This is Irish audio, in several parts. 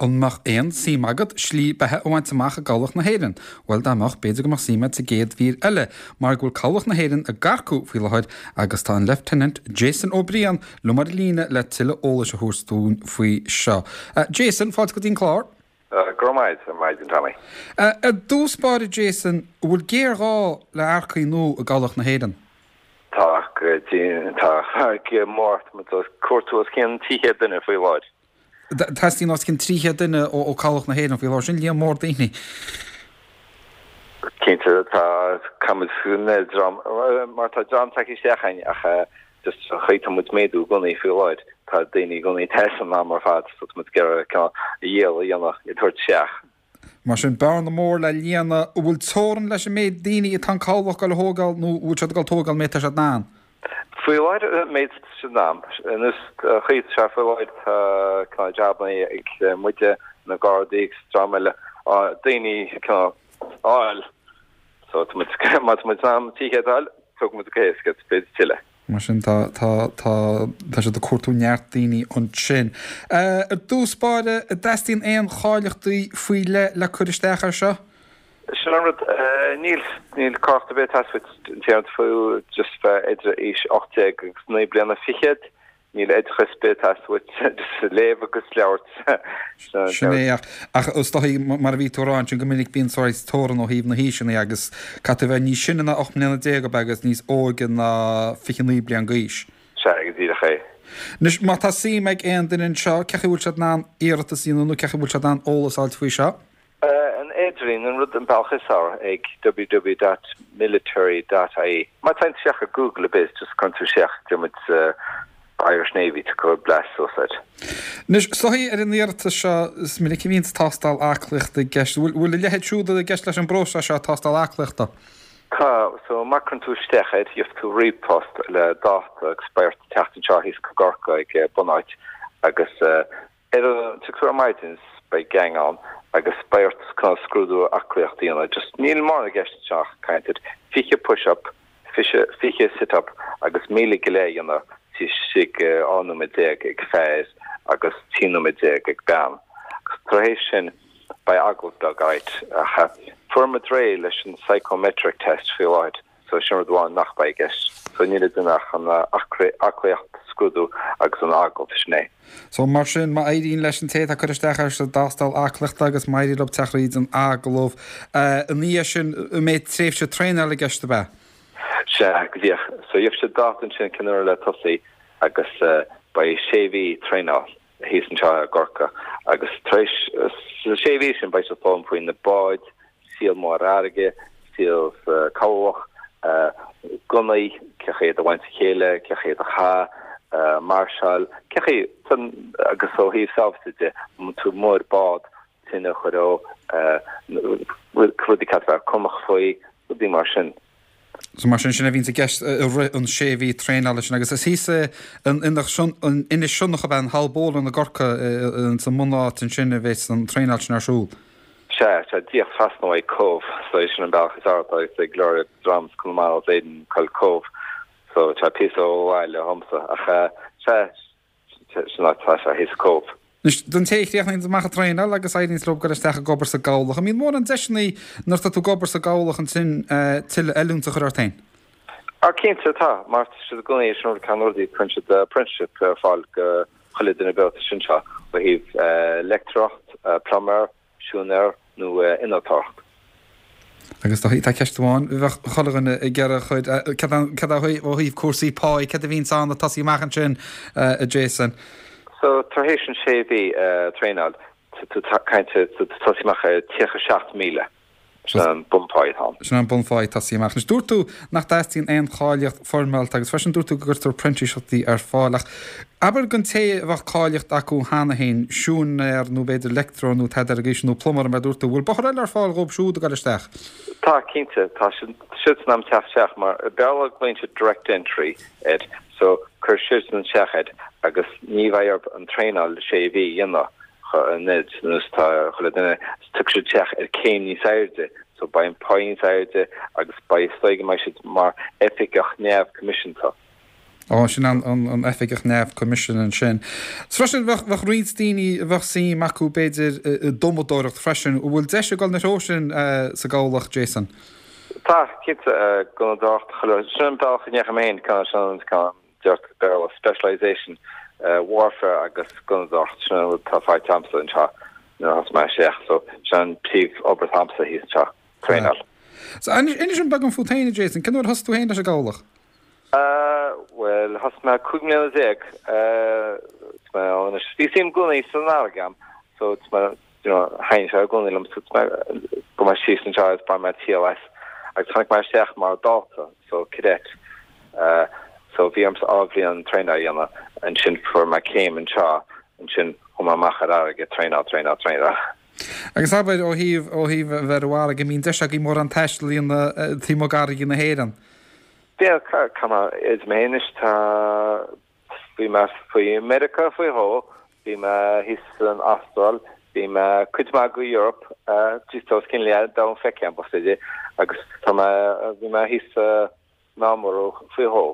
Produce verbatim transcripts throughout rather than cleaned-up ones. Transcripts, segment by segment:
An mbeadh aon suim agat slí beatha a bhaint amach i gCabhlach na hÉireann? Bhuel dá mbeadh, b'fhéidir go mbeadh suim agat sa gcéad mhír eile, mar go bhfuil Cabhlach na hÉireann ag earcú faoi láthair agus tá an Lieutenant Jason Ó Briain liom ar líne le tuilleadh eolais a thabhairt dúinn faoi seo. Uh, Jason, fáilte go dtí an clár? Uh, go raibh maith maidin Tommy. Uh, ar dtús báire Jason, bhfuil géarghá le earcaigh nua i gCabhlach na hÉireann? Tá tá mór cuartú os cionn trí chéad duine faoi láthair. Teastaíonn os cionn trí chéad duine ó ó Cabhlach na hÉireann faoi láthair sin líon mór daoine. Cinnte tá dream mar tá dream tagtha isteach ach just chaithfidh muid méadú i gcónaí faoi láthair tá daoine i gcónaí te an am ar fad so muid ag iarraidh a dhéanamh i dtabhairt isteach. Mar sin bearna mór le líonadh bhfuil teorainn leis an méid daoine atá an cabhlach le tógáil nó bhfuil siad ag tógáil méid atá siad in ann. Faoi láthair méid sin am nus chuid se faoi láthair tá jabanna ag muide na Gardaí dream eile daoine áil so má muid am tí fháil tug muid céisce beidir tuile. Mar sin tá tá tá tá siad ag cuartú neart daoine ansin. Ar dtús báire an dteastaíonn aon cháilíochtaí faoi leith le cur isteach ar seo? Sin an rud níl níl cáilíocht ar bith ag teastáil uait just bheith idir aois ocht déag agus naoi bliana fichead, níl oideachas ar bith ag teastáil just léamh agus labhairt. Sin é ach is dóigh mar a bhí tú ag rá ansin go minic bíonn saghas teorainn ó thaobh na haoiseanna agus caithfidh tú bheith níos sine ná ocht mbliana déag ab agus níos óige ná fiche naoi bliain d'aois. Sea go díreach é. Anois má tá suim ag aon duine anseo cén chaoi bhfuil siad in ann iarratas a dhéanamh nó cén chaoi bhfuil siad in ann eolas a fháilt faoi seo? An idirlíon an rud an bealach is fearr ag www.military.ie. Má tá isteach ar Google a bit just cuireann tú isteach muid Irish Navy to go blast suicide. Anois is dóigh ar an iarratas seo is minic a bhíonn tástáil aclaíochta i gceist. Bhfuil a leithéid siúd i gceist leis an bpróiseas seo tástáil aclaíochta? Tá so má chuireann tú isteach air gheobhaidh tú ríomhphost le dáta agus beidh ort teacht anseo thíos go Corcaigh ag bunáit agus ar an tú ar maidin beidh gang ann agus beidh ort chun scrúdú aclaíochta a dhéanamh. Just níl mórán i gceist anseo caint fiche push-up, fiche fiche sit-up agus míle go leith a dhéanamh istigh dhá nóiméad déag ag fear agus trí nóiméad déag ag bean. Agus tar éis sin beidh agallamh beag ait ach fuair muid réidh leis an psychometric test faoi láthair so sin rud amháin nach beidh i gceist. So níl duine ach an aclaíocht scrúdú agus an agallamh sin é. So mar sin má éiríonn leis an té atá ag cur isteach ar sa dtástáil aclaíochta agus má éiríonn leo teacht thríd an agallamh ina dhiaidh sin an mbeidh tréimhse traenála i gceist ab ea? Sea, go díreach. So gheobhaidh siad dáta ansin cén uair le tosaí agus beidh sé mhí traenáil thíos anseo i gCorcaigh agus tar éis sa sé mhí sin beidh siad foghlaim faoi na báid, saol mór ar fharraige, saol sa cabhlach, gunnaí, cén chaoi iad a bhaint a chéile, cén chaoi iad a chaitheamh, máirseáil, cén chaoi agus ó thaobh sábháilteachta de, má tá tú amuigh ar bád, tine a chur ó, rudaí caithfidh bheith cúramach faoi, rudaí mar sin. So mar sin sin a bhíonns i gceist i rith an sé mhí traenála sin agus is thíos in Inis Sionnach ab ea in Haulbowline i gCorcaigh sa mbunáit ansin a bheas an traenáil sin ar siúl. Sea, sea, díreach trasna uaidh Cóbh, so é sin an bealach is fearr atá ag go leor dream as Conamara is Éirinn go Cóbh, so tá píosa ó bhaile dhomsa ach sea, sin áit atá sé thíos Cóbh. Anois, don té a chríochnaíonn amach an traenáil agus éiríonn leo dul isteach ag obair sa gcabhlach, an mbíonn mórán deiseanna nuair atá tú ag obair sa gcabhlach ansin tuilleadh oiliúint a chur ort féin? Ah, cinnte tá, mar tá siad i gcónaí sin rud ceann rudaí cuireann siad apprenticeship ar fáil go chuile duine beo sin seo ó thaobh leictreoireacht, pluiméir, siúinéir nó innealtóireacht. Agus tá tá ceist amháin bheadh chuile dhuine ag iarraidh a chur, cad é ó thaobh cúrsaí páí, cad a bhíonns ann ag tosaí amach ansin, a Jason? So tar éis an sé mhí traenáil, tá tú caint tá tú tosaí amach ar tríocha seacht míle. Sin an bunphá atá ann. Sin an bunphá ag tosaí amach. Anois dúirt tú nach dteastaíonn aon cháilíocht foirmeálta agus freisin dúirt tú go gcuirtear printíseachtaí ar fáil ach abair don té a bheadh cáilíocht acu cheana féin, siúinéir nó b'fhéidir leictreoir nó tada ar an gcaoi sin nó pluiméir mar a dúirt tú, bhfuil bóthar eile ar fáil dhóibh siúd a ghoil isteach? Tá, cinnte. Tá siad siad in ann teacht isteach mar i Béarla glaonn siad direct entry air so cuir siadsan isteach air agus ní bheidh orthu an traenáil sé mhí a dhéanamh. an nós tá chuile duine tiocfaidh siad isteach ar céim níos airde so beidh an pá níos airde agus beidh is dóigh go mbeidh siad mar oifigeach neamhchoimisiúnta. Ó, sin an, an, an oifigeach neamhchoimisiúnaithe ansin. 'S freisin, bheadh, bheadh roinnt daoine a bheadh suim acu b'fhéidir i dtumadóireacht freisin. An bhfuil deis ag dul ina threo sin sa gcabhlach, Jason? Tá, cinnte, gunnadóireacht, chuile, sin an bealach a ndeachaigh mé féin, cineál, sin an, cineál, deirtear Béarla, specialisation, warfare agus gunnadóireacht, sin an rud atá faighte agamsa anseo nuair a thosaigh mé isteach, so sin an príomh-obair atá agamsa thíos anseo, traenáil. So, inis dom beagán fút féin, a Jason, cén uair a thosaigh tú féin leis an gcabhlach? Bhuel, thosaigh mé cúig mbliana déag, tá mé ann anois. Bhí suim i gcónaí san fharraige agam, so tá mé, you know, thaitnigh sé i gcónaí liom, so tá mé, gabh mé síos anseo agus bhain mé triail as. Agus tháinig mé isteach mar dhalta, so cadet. So bhí ormsa dhá bhliain traenáil a dhéanamh, ansin fuair mé céim anseo, ansin chuaigh mé amach ar fharraige, traenáil, traenáil, traenáil. Agus abair, ó thaobh, ó thaobh a bheith ar an bhfarraige, an mbíonn deis agaibh mórán taistil a dhéanamh taobh amuigh d'fharraigí na hÉireann? Bhuel, cá mé is mé anois, tá, bhí mé faoi Meiriceá faoi dhó, bhí mé thíos san Astráil, bhí mé cuid mhaith go Europe, just tá os cionn leath domhan feicthe agam, b'fhéidir, agus tá mé, bhí mé thíos sa Meánmhuir faoi dhó.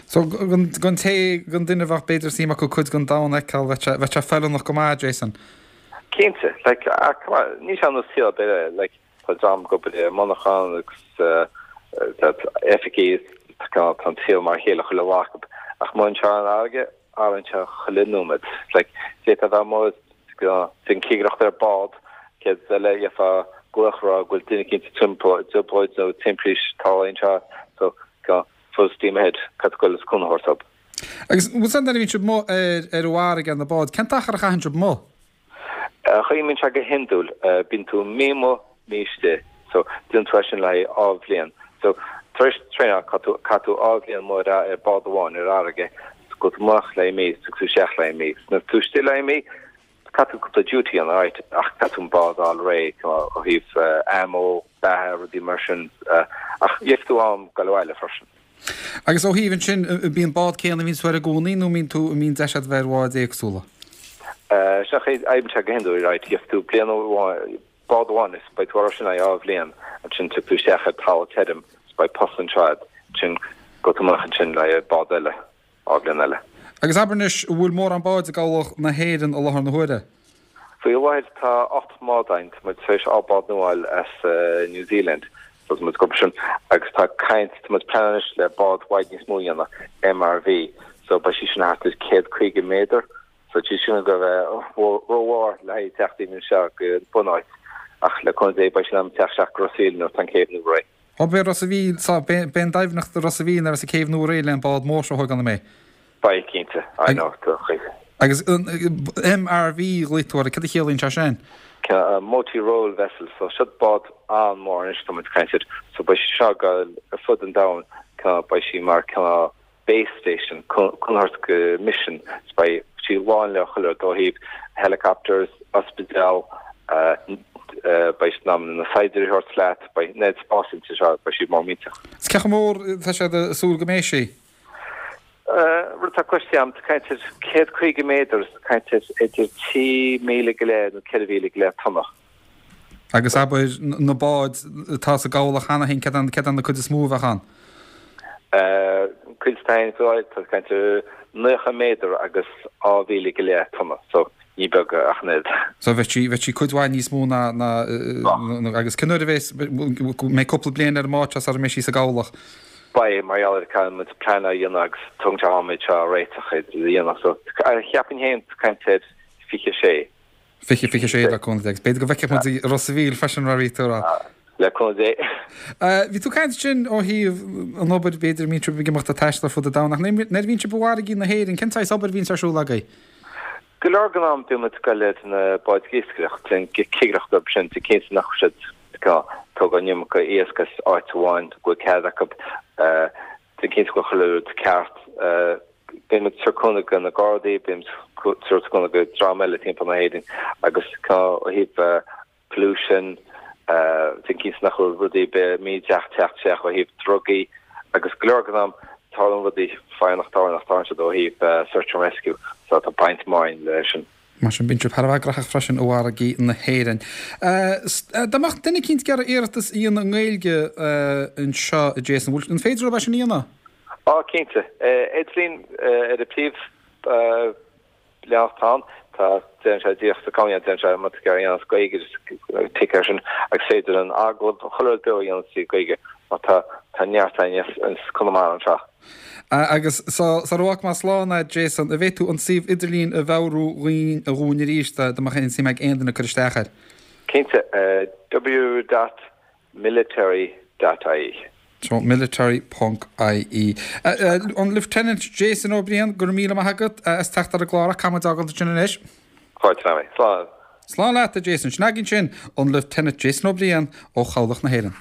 So, don té, don duine a bheadh b'fhéidir suim acu cuid den domhan a fheiceáil, bheadh sé, bheadh sé feiliúnach go maith, Jason. Cinnte, like, ach come on, níl sé ar nós saol ar bith eile, like, tá dream ag obair i monarchan agus tá oifigí, tá an saol mar a chéile chuile lá acu, ach amuigh anseo ar an fharraige, athraíonn sé chuile nóiméad, like, d'fhéadfá a bheith amuigh ag déanamh cigireacht ar bád, céad eile gheofá glaoch a rá go bhfuil duine eicínt i dtrioblóid nó timpiste tarlaithe anseo, so, full steam ahead, caithfidh tú goil is cúnamh a thabhairt dóibh. Agus bhfuil san nuair a bhíonn sibh amuigh ar ar an bhfarraige ar na báid, cén t-achar a chaitheann sibh amuigh? Oibríonn sé go hiondúil, bíonn tú mí amuigh, mí istigh, so déanann tú é sin le haghaidh dhá bhliain. So tar éis traenáil, caithfidh tú caithfidh tú dhá bhliain amuigh ar ar bád amháin ar fharraige, so gabhfaidh tú amach le haghaidh mí, is tiocfaidh tú isteach le haghaidh mí. So nuair atá tú istigh le haghaidh mí, caithfidh tú cúpla duty a dhéanamh, right, ach caithfidh tú an bád a fháil réidh, ó thaobh ammo, beatha, rudaí mar sin, ach gheobhaidh tú am dul abhaile freisin. Agus ó thaobh ansin, bíonn an bád céanna a bhíonn tú air i gcónaí nó mbíonn tú, mbíonn deis agat bheith ar bháid éagsúla? Sin an chaoi a oibríonn sé go hiondúil, right, gheobhaidh tú bliain amháin, bád amháin is beidh tú air sin le haghaidh dhá bhliain, ansin tiocfaidh tú isteach ar talamh tirim is beidh post anseo agat, ansin gabhfaidh tú amach ansin le haghaidh bád eile. dhá bhliain eile. Agus abair anois, an bhfuil mórán báid i gCabhlach na hÉireann i láthair na huaire? Faoi láthair tá ocht mbád againn, tá muid tar éis dhá bád nua a fháil as New Zealand, so tá muid ag obair sin agus tá caint, tá muid ag pleanáil anois le bád i bhfad níos mó a dhéanamh, MRV, so beidh sí sin thart ar céad caoga méadar, so tá sí sin ag a bheith rómhór le haghaidh teacht even anseo go bunáit ach le cúnamh Dé beidh sí in ann teacht isteach go Ros a' Mhíl nuair atá an céibh nua réidh. Ó beidh Ros a' Mhíl, so beidh an doimhneacht i Ros a' Mhíl nuair a bheas an céibh nua réidh le an bád mór seo a thógáil an mbeidh? Beidh, cinnte. I know, tá chuig. Agus MRV a ghlaoigh tú air, cad a chiallaíonn sé sin? Multi Role Vessel, so seo bád an-mhór anois tá muid ag caint air, so beidh sí seo ag gabháil ar fud an domhain, beidh sí mar cineál base station, cúnamh a thabhairt go mission, so beidh sí lán le chuile rud ó thaobh helicopters, ospidéal, beidh sí in ann na saighdiúirí a thabhairt leat, beidh an oiread spáis inti seo, beidh sí mór millteach. Is cé chomh mór atá siad ag súil go mbeidh sí? Rud atá cloiste agam, tá caint ar céad caoga méadar, tá caint ar idir trí mhíle go leith nó ceithre mhíle go leith tonna. Agus abair, na báid atá sa gcabhlach cheana féin, céard é an cuid is mó a bheadh ann? Cuid atá ann faoi láthair, tá caint ar naocha méadar agus dhá mhíle go leith tonna, so ní beag ach an oiread. So bheadh sí, bheadh sí cuid mhaith níos mó ná, ná, agus cén uair a bheas, mbeidh cúpla bliain ar an mbád seo sara mbeidh sí sa gcabhlach? Beidh, mar gheall ar caithfidh muid plean a dhéanamh agus tógann sé am iad seo a réiteach, a dhéanamh, so cheapfainn féin tá caint ar fiche sé. Fiche, fiche sé le cúnamh Dé. Agus b'fhéidir go bhfeicfeadh muid i Ros a' Mhíl freisin mar a bhí tú a rá. Le cúnamh Dé. Bhí tú ag caint ansin ó thaobh an obair b'fhéidir a mbíonn sibh ag imeacht ag taisteal ar fud an domhain ach nuair a bhíonn sibh i bhfarraigí na hÉireann cén saghas obair a bhíonns ar siúl agaibh? Go leor den am bíonn muid ag goil ar na báid iascaireachta, déanamh cigireacht orthu sin, déanamh cinnte nach bhfuil siad ag tógáil an iomarca iasc as áit amháin go bhfuil cead acu, déanamh cinnte go bhfuil chuile rud ceart. Bíonn muid ag tabhairt cúnamh do na Gardaí, bíonn muid ag tabhairt cúnamh do dream eile timpeall na hÉireann agus ó thaobh pollution, déanamh cinnte nach bhfuil rudaí ar bith mídhleathach ag teacht isteach ó thaobh drugaí agus go leor den am tarlaíonn rudaí faighidh nach dtarlaíonn nach dtarlaíonn siad ó thaobh search and rescue so tá baint mhaith againn leis sin. Mar sin bíonn sibh thar a bheith graitheach freisin i bhfarraigí na hÉireann. Dá mbeadh duine eicínt ag iarraidh iarratas a dhéanamh i nGaeilge anseo, a Jason, an féidir leo é sin a dhéanamh? Á cinnte. Idirlíon ar an príomh leathanach atá ann. Tá déanann sé díreach sa comhairle déanann sé má tá tú ag iarraidh as Gaeilge just tic air sin agus féidir an agallamh chuile rud beo a dhéanamh trí Ghaeilge mar tá tá neart againn as Conamara anseo. Agus sara bhfágfaidh mé slán a Jason, an bhféadfá tú an suíomh idirlín a mheabhrú dhúinn dhúinn arís dá mbeadh aon suim ag aon duine cur isteach air? Cinnte, w dot military dot ie. So military ponc ie. An Lieutenant Jason Ó Briain, go raibh míle maith agat as teacht ar an gclár ach caithfidh muid a fhágáil ansin anois. Fáilte romhat. Slán. Slán leat a Jason. Sin againn sin an Lieutenant Jason Ó Briain ó Chabhlach na hÉireann.